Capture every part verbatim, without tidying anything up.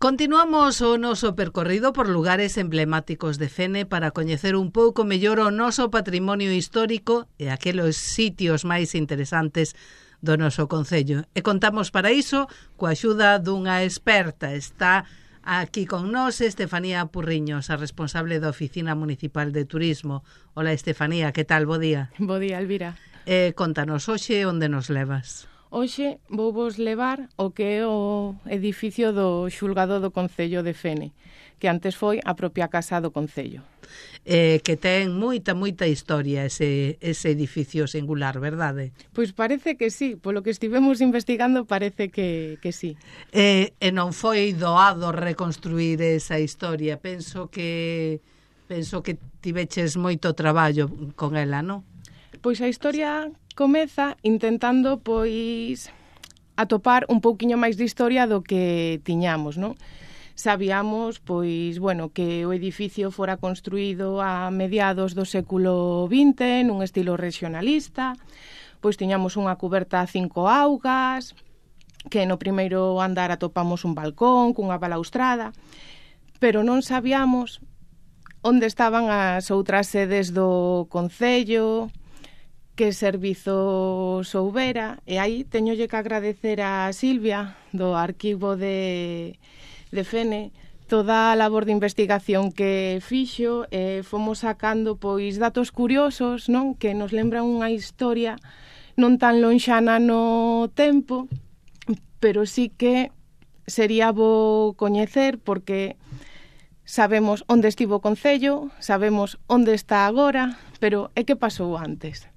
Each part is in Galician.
Continuamos o noso percorrido por lugares emblemáticos de Fene para coñecer un pouco mellor o noso patrimonio histórico e aqueles sitios máis interesantes do noso concello. E contamos para iso coa axuda dunha experta. Está aquí con nós Estefanía Purriños, a responsable da Oficina Municipal de Turismo. Hola Estefanía, que tal? Bo día. Bo día, Elvira. Eh, contanos hoxe onde nos levas. Hoxe vou vos levar o que é o edificio do xulgado do Concello de Fene, que antes foi a propia casa do Concello. Eh, que ten moita, moita historia ese, ese edificio singular, verdade? Pois parece que sí, polo que estivemos investigando parece que, que sí. Eh, e non foi doado reconstruir esa historia, penso que penso que tiveches moito traballo con ela, non? Pois a historia comeza intentando, pois, atopar un pouquiño máis de historia do que tiñamos, non? Sabíamos, pois, bueno, que o edificio fora construído a mediados do século vinte nun estilo regionalista, pois tiñamos unha cuberta a cinco augas, que no primeiro andar atopamos un balcón cunha balaustrada, pero non sabíamos onde estaban as outras sedes do Concello, que servizos houbera, e aí teñolle que agradecer a Silvia do arquivo de, de Fene toda a labor de investigación que fixo, e fomos sacando pois datos curiosos, non, que nos lembran unha historia non tan lonxana no tempo, pero sí que sería bo coñecer porque sabemos onde estivo o Concello, sabemos onde está agora, pero é que pasou antes.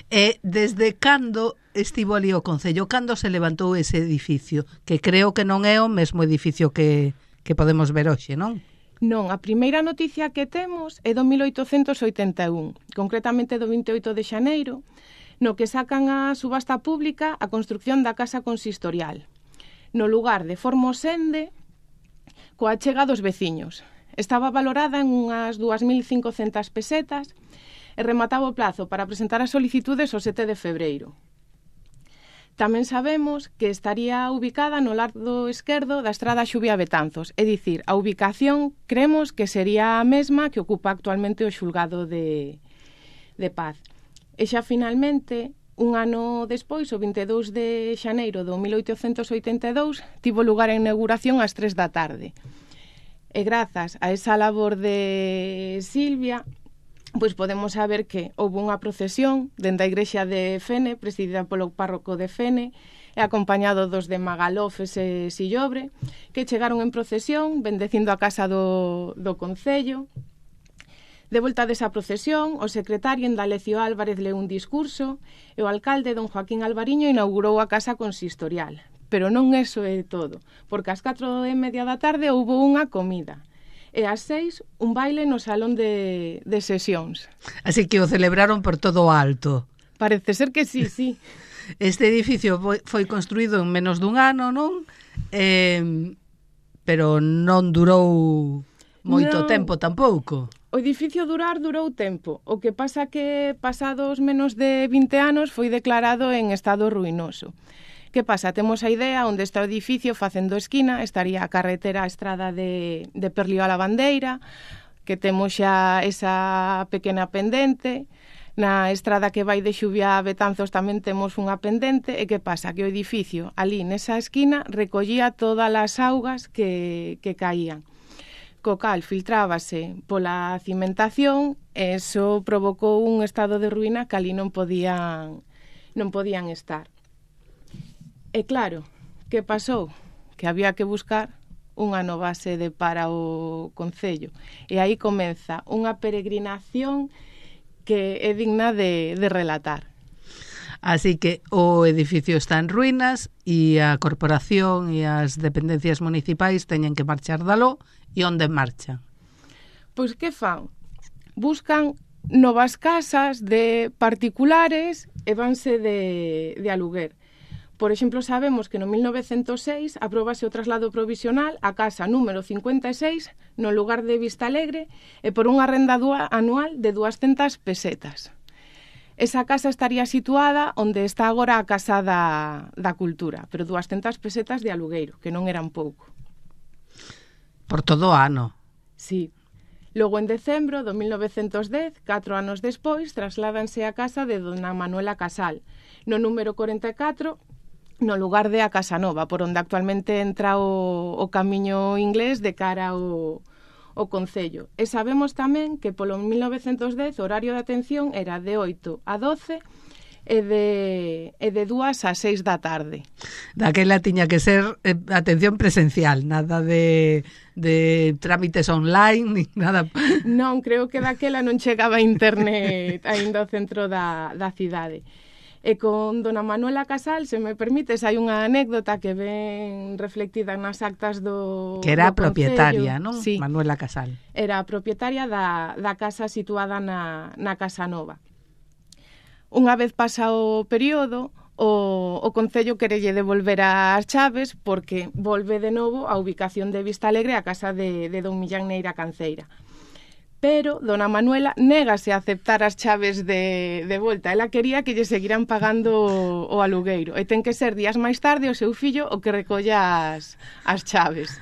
E desde cando estivo ali o Concello? Cando se levantou ese edificio? Que creo que non é o mesmo edificio que, que podemos ver hoxe, non? Non, a primeira noticia que temos é do mil oitocentos oitenta e un, concretamente do vinte e oito de xaneiro, no que sacan a subasta pública a construcción da casa consistorial, no lugar de Formosende, coa chega dos veciños. Estaba valorada en unhas dúas mil cincocentas pesetas, e remataba o plazo para presentar as solicitudes o sete de febreiro. Tamén sabemos que estaría ubicada no lado esquerdo da estrada Xubia Betanzos, é dicir, a ubicación creemos que sería a mesma que ocupa actualmente o xulgado de, de Paz. E xa finalmente, un ano despois, o vinte e dous de xaneiro do mil oitocentos oitenta e dous, tivo lugar a inauguración ás tres da tarde. E grazas a esa labor de Silvia, pois podemos saber que houve unha procesión dende a igrexa de Fene, presidida polo párroco de Fene, e acompañado dos de Magalofes e Sillobre, que chegaron en procesión, bendecindo a casa do, do Concello. De volta desa procesión, o secretario Indalecio Álvarez leu un discurso e o alcalde don Joaquín Alvariño inaugurou a casa consistorial. Pero non eso é todo, porque ás catro e media da tarde houve unha comida. E ás seis, un baile no salón de, de sesións. Así que o celebraron por todo o alto. Parece ser que sí, sí. Este edificio foi, foi construído en menos dun ano, non? Eh, pero non durou moito non. tempo tampouco. O edificio durar durou tempo. O que pasa que pasados menos de vinte anos foi declarado en estado ruinoso. Que pasa? Temos a idea onde está o edificio facendo esquina, estaría a carretera a estrada de, de Perlío a la Bandeira, que temos xa esa pequena pendente, na estrada que vai de Xubia a Betanzos tamén temos unha pendente, e que pasa? Que o edificio ali nesa esquina recollía todas as augas que, que caían. Co cal filtrábase pola cimentación, e eso provocou un estado de ruína que ali non podían, non podían estar. E claro, que pasou? Que había que buscar unha nova sede para o Concello. E aí comeza unha peregrinación que é digna de, de relatar. Así que o edificio está en ruínas e a corporación e as dependencias municipais teñen que marchar dalo. E onde marchan? Pois que fan? Buscan novas casas de particulares e vanse de, de aluguer. Por exemplo, sabemos que no mil novecentos seis apróbase o traslado provisional a casa número cincuenta e seis no lugar de Vistalegre e por unha renda anual de duascentas pesetas. Esa casa estaría situada onde está agora a Casa da, da Cultura, pero duascentas pesetas de alugueiro, que non eran pouco. Por todo o ano. Sí. Logo, en decembro do mil novecentos dez, catro anos despois, trasládanse á casa de dona Manuela Casal, no número corenta e catro, no lugar de a Casa Nova, por onde actualmente entra o, o camiño inglés de cara ao, ao Concello. E sabemos tamén que polo mil novecentos dez o horario de atención era de oito a doce e de, e de dúas a seis da tarde. Daquela tiña que ser eh, atención presencial, nada de, de trámites online, ni nada. Non, creo que daquela non chegaba a internet aínda ao centro da, da cidade. E con dona Manuela Casal, se me permites, hai unha anécdota que ven reflectida nas actas do Que era do propietaria, Concello. non? Sí, Manuela Casal. era a propietaria da, da casa situada na, na Casa Nova. Unha vez pasa o período, o, o Concello querelle devolver as chaves porque volve de novo a ubicación de Vista Alegre a casa de, de don Millán Neira Canceira. Pero dona Manuela négase a aceptar as chaves de, de volta. Ela quería que lle seguiran pagando o, o alugueiro. E ten que ser días máis tarde o seu fillo o que recolla as, as chaves.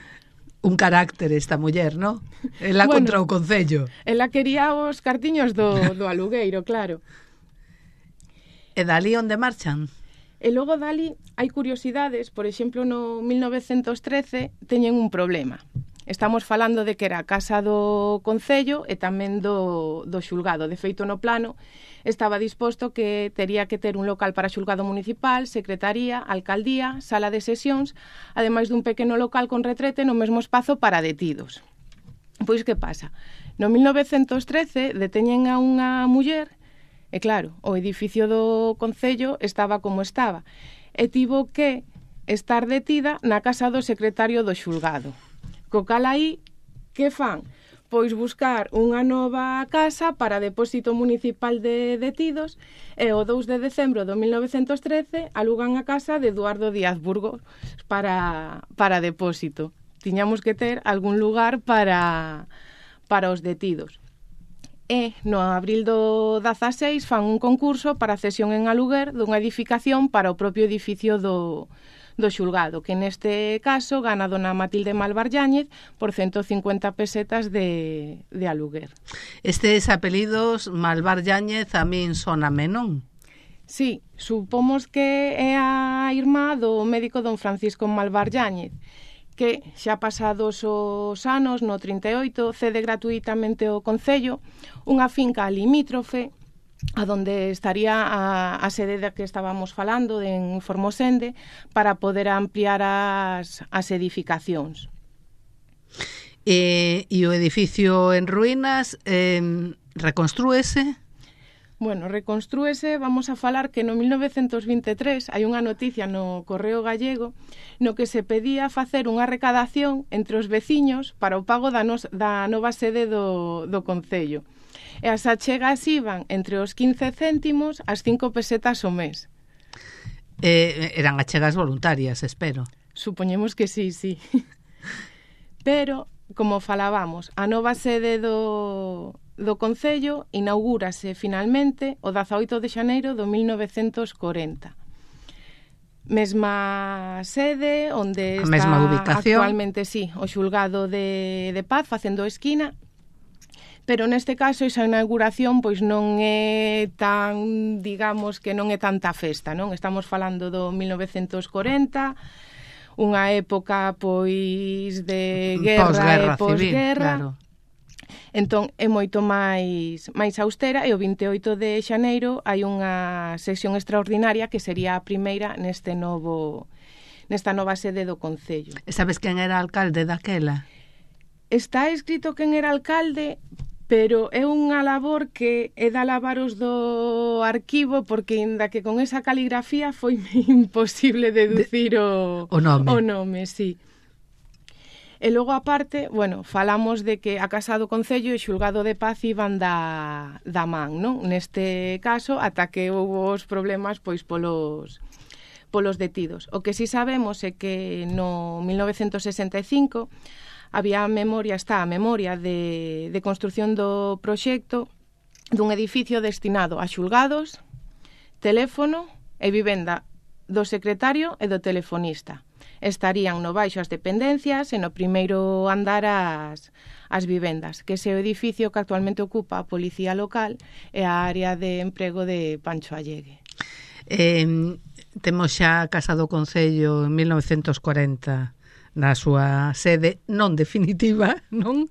Un carácter esta muller, non? Ela Bueno, contra o Concello. Ela quería os cartiños do, do alugueiro, claro. E dali onde marchan? E logo dali hai curiosidades, por exemplo, no mil novecentos trece teñen un problema. Estamos falando de que era a casa do Concello e tamén do, do xulgado. De feito, no plano estaba disposto que tería que ter un local para xulgado municipal, secretaría, alcaldía, sala de sesións, ademais dun pequeno local con retrete no mesmo espazo para detidos. Pois que pasa? No mil novecentos trece deteñen a unha muller. E claro, o edificio do Concello estaba como estaba e tivo que estar detida na casa do secretario do xulgado. Co cal aí, que fan? Pois buscar unha nova casa para depósito municipal de detidos e o dous de decembro do mil novecentos trece alugan a casa de Eduardo Díaz Burgos para, para depósito. Tiñamos que ter algún lugar para, para os detidos. E no abril do dezaseis fan un concurso para cesión en aluguer dunha edificación para o propio edificio do, do xulgado, que neste caso gana dona Matilde Malvar Yáñez por ciento cincuenta pesetas de, de aluguer. Estes apelidos, Malvar Yáñez, a min soname, non? Sí, supomos que é a irmá do médico don Francisco Malvar Yáñez, que xa pasados os anos, no trinta e oito, cede gratuitamente ao Concello unha finca limítrofe a donde estaría a, a sede da que estábamos falando en Formosende para poder ampliar as, as edificacións. E, e o edificio en ruínas eh, reconstrúese? Bueno, reconstrúese, vamos a falar que no mil novecentos vinte e tres hai unha noticia no Correo Gallego no que se pedía facer unha recadación entre os veciños para o pago da, nos, da nova sede do, do Concello. E as achegas iban entre os quince céntimos ás cinco pesetas o mes. Eh, eran achegas voluntarias, espero. Supoñemos que sí, sí. Pero, como falábamos, a nova sede do... do Concello inaugúrase finalmente o dezaoito de xaneiro do mil novecentos corenta. Mesma sede onde a está mesma ubicación. Actualmente, sí, o xulgado de, de Paz facendo esquina, pero neste caso esa inauguración pois non é tan, digamos, que non é tanta festa, non? Estamos falando do mil novecentos corenta, unha época pois de guerra posguerra, e posguerra. Civil, claro. Entón, é moito máis, máis austera e o vinte e oito de xaneiro hai unha sesión extraordinaria que sería a primeira neste novo, nesta nova sede do Concello. E sabes quen era alcalde daquela? Está escrito quen era alcalde, pero é unha labor que é da lavaros do arquivo porque ainda que con esa caligrafía foi imposible deducir o, o nome. O nome, sí. E logo, aparte, bueno, falamos de que a Casa do Concello e o Xulgado de Paz iban da, da man, non? Neste caso, ata que houve os problemas pois polos, polos detidos. O que si sabemos é que no mil novecentos sesenta e cinco había a memoria, está a memoria de, de construción do proxecto dun edificio destinado a xulgados, teléfono e vivenda do secretario e do telefonista. estarían no baixo as dependencias e no primeiro andar as, as vivendas, que ese edificio que actualmente ocupa a Policía Local e a área de emprego de Pancho Allegue. Eh, temos xa a Casa do Concello en mil novecentos cuarenta na súa sede non definitiva, non?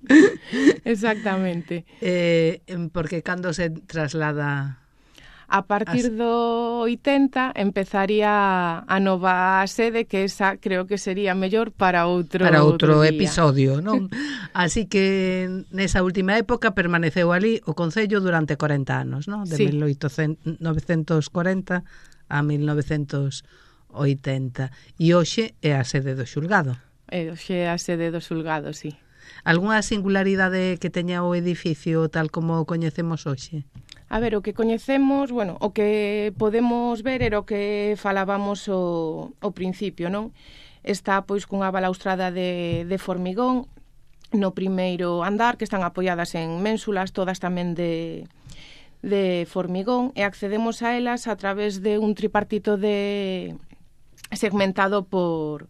Exactamente. Eh, porque cando se traslada... A partir As... do oitenta empezaría a nova sede, que esa creo que sería mellor para outro para outro, outro episodio, non? Así que nesa última época permaneceu ali o Concello durante corenta anos, non? De sí. mil novecentos cuarenta a mil novecentos oitenta. E hoxe é a sede do xulgado. É hoxe a sede do xulgado, sí. Algúna singularidade que teña o edificio tal como o coñecemos hoxe? A ver, o que coñecemos, bueno, o que podemos ver era o que falábamos o, o principio, non? Está, pois, cunha balaustrada de, de formigón no primeiro andar, que están apoiadas en ménsulas, todas tamén de, de formigón, e accedemos a elas a través de un tripartito de segmentado por...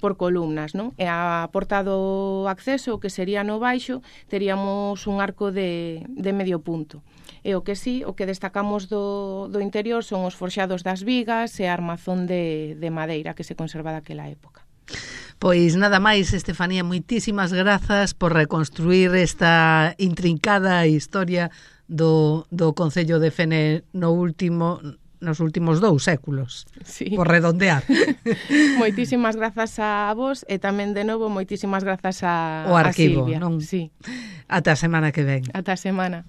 por columnas, non? E a porta do acceso, que sería no baixo, teríamos un arco de, de medio punto. E o que sí, o que destacamos do, do interior son os forxados das vigas e a armazón de, de madeira que se conserva daquela época. Pois nada máis, Estefanía, moitísimas grazas por reconstruir esta intrincada historia do, do Concello de Fene no último... nos últimos dous séculos, sí. Por redondear. Moitísimas grazas a vos e tamén de novo moitísimas grazas a, o arquivo, a Silvia. Non? Sí. Ata a semana que ven. Ata a semana.